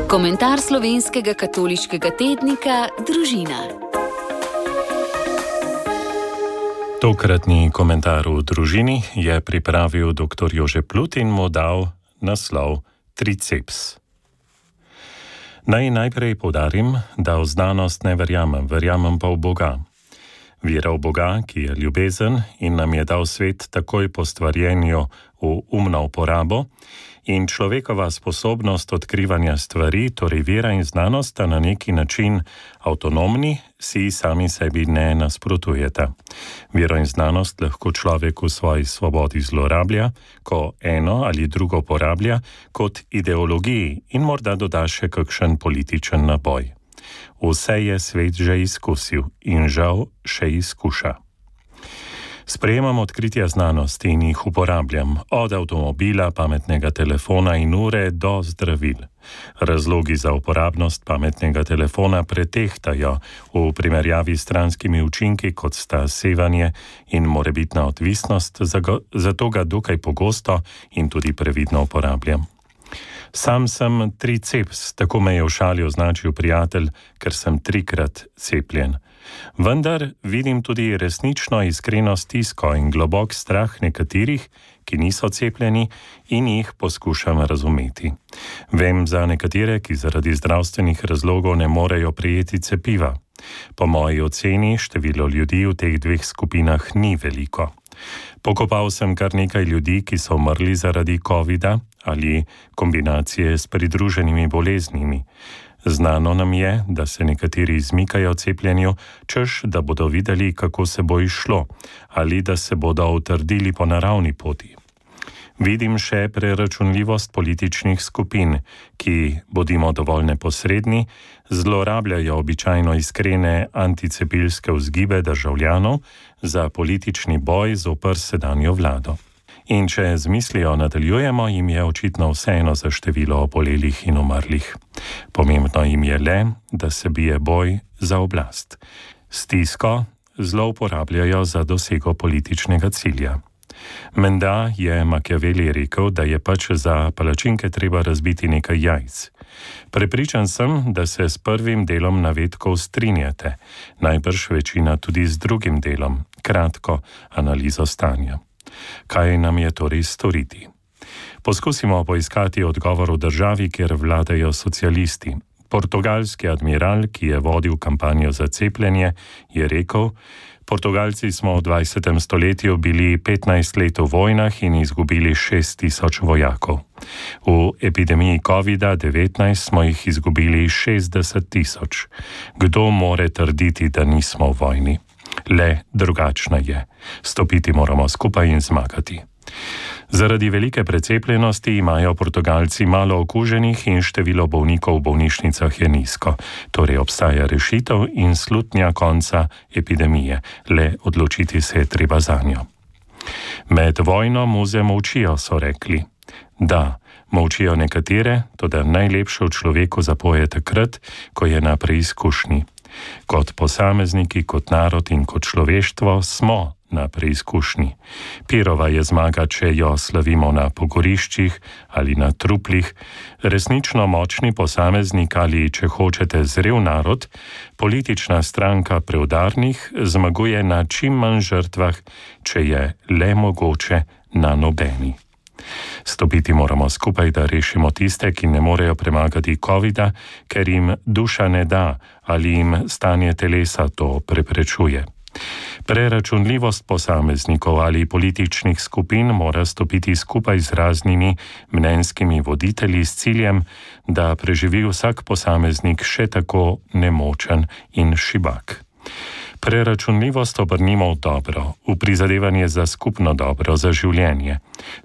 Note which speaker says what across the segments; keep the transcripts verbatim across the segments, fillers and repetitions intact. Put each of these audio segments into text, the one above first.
Speaker 1: Komentar slovenskega katoliškega tednika Družina.
Speaker 2: Tokratni komentar v Družini je pripravil dr. Jože Plut in mu dal naslov Triceps. Naj najprej poudarim, da v znanost ne verjamem, verjamem pa v Boga. Vera v Boga, ki je ljubezen in nam je dal svet takoj po stvarjenju v umno uporabo, in človekova sposobnost odkrivanja stvari, torej vera in znanost, sta na neki način avtonomni, si sami sebi ne nasprotujeta. Vero in znanost lahko človek v svoji svobodi zlorablja, ko eno ali drugo uporablja kot ideologiji in morda doda še kakšen političen naboj. Vse je svet že izkusil in žal še izkuša. Sprejemam odkritja znanosti in jih uporabljam, od avtomobila, pametnega telefona in ure do zdravil. Razlogi za uporabnost pametnega telefona pretehtajo v primerjavi s stranskimi učinki, kot sta sevanje in morebitna odvisnost, zato ga dokaj pogosto in tudi previdno uporabljam. Sam sem triceps, tako me je v šali označil prijatelj, ker sem trikrat cepljen. Vendar vidim tudi resnično iskreno stisko in globok strah nekaterih, ki niso cepljeni, in jih poskušam razumeti. Vem za nekatere, ki zaradi zdravstvenih razlogov ne morejo prejeti cepiva. Po moji oceni število ljudi v teh dveh skupinah ni veliko. Pokopal sem kar nekaj ljudi, ki so umrli zaradi covida ali kombinacije s pridruženimi boleznimi. Znano nam je, da se nekateri izmikajo cepljenju, češ da bodo videli, kako se bo izšlo, ali da se bodo utrdili po naravni poti. Vidim še preračunljivost političnih skupin, ki, bodimo dovolj neposredni, zlorabljajo običajno iskrene anticepilske vzgibe državljanov za politični boj zoper sedanjo vlado. In če z mislijo nadaljujemo, jim je očitno vseeno za število obolelih in umrlih. Pomembno jim je le, da se bije boj za oblast. Stisko zlouporabljajo za dosego političnega cilja. Menda je Machiavelli rekel, da je pač za palačinke treba razbiti nekaj jajc. Prepričan sem, da se s prvim delom navedkov strinjate, najbrž večina tudi z drugim delom, kratko analizo stanja. Kaj nam je torej storiti? Poskusimo poiskati odgovor v državi, kjer vladajo socialisti. Portugalski admiral, ki je vodil kampanjo za cepljenje, je rekel: Portugalci smo v dvajsetem stoletju bili petnajst let v vojnah in izgubili šest tisoč vojakov. V epidemiji covida devetnajst smo jih izgubili šestdeset tisoč. Kdo more trditi, da nismo v vojni? Le drugačna je. Stopiti moramo skupaj in zmagati. Zaradi velike precepljenosti imajo Portugalci malo okuženih in število bolnikov v bolnišnicah je nizko. Torej obstaja rešitev in slutnja konca epidemije. Le odločiti se je treba zanjo. Med vojno muze molčijo, so rekli. Da, molčijo nekatere, toda najlepše v človeku zapoje takrat, ko je na preizkušnji. Kot posamezniki, kot narod in kot človeštvo smo na preizkušnji. Pirova je zmaga, če jo slavimo na pogoriščih ali na truplih. Resnično močni posameznik ali, če hočete, zrel narod, politična stranka preudarnih, zmaguje na čim manj žrtvah, če je le mogoče na nobeni. Stopiti moramo skupaj, da rešimo tiste, ki ne morejo premagati covida, ker jim duša ne da ali jim stanje telesa to preprečuje. Preračunljivost posameznikov ali političnih skupin mora stopiti skupaj z raznimi mnenjskimi voditelji s ciljem, da preživi vsak posameznik še tako nemočen in šibak. Preračunljivost obrnimo v dobro, v prizadevanje za skupno dobro, za življenje.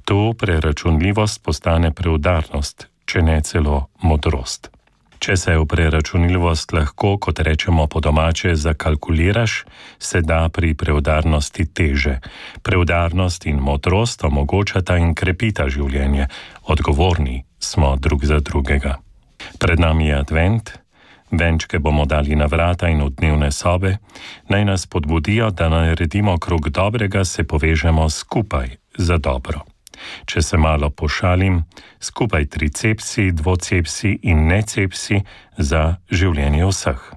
Speaker 2: To preračunljivost postane preudarnost, če ne celo modrost. Če se v preračunljivost lahko, kot rečemo po domače, zakalkuliraš, se da pri preudarnosti teže. Preudarnost in modrost omogočata in krepita življenje. Odgovorni smo drug za drugega. Pred nami je advent. Venčke bomo dali na vrata in v dnevne sobe, naj nas podbudijo, da naredimo krog dobrega, se povežemo skupaj za dobro. Če se malo pošalim, skupaj tricepsi, dvocepsi in necepsi za življenje vseh.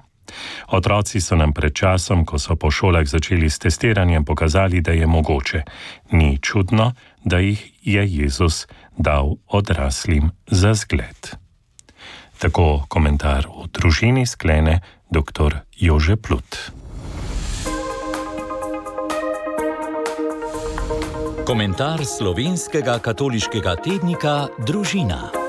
Speaker 2: Otroci so nam pred časom, ko so po šolah začeli s testiranjem, pokazali, da je mogoče. Ni čudno, da jih je Jezus dal odraslim za zgled. Tako komentar v družini sklene doktor Jože Plut.
Speaker 3: Komentar slovenskega katoliškega tednika Družina.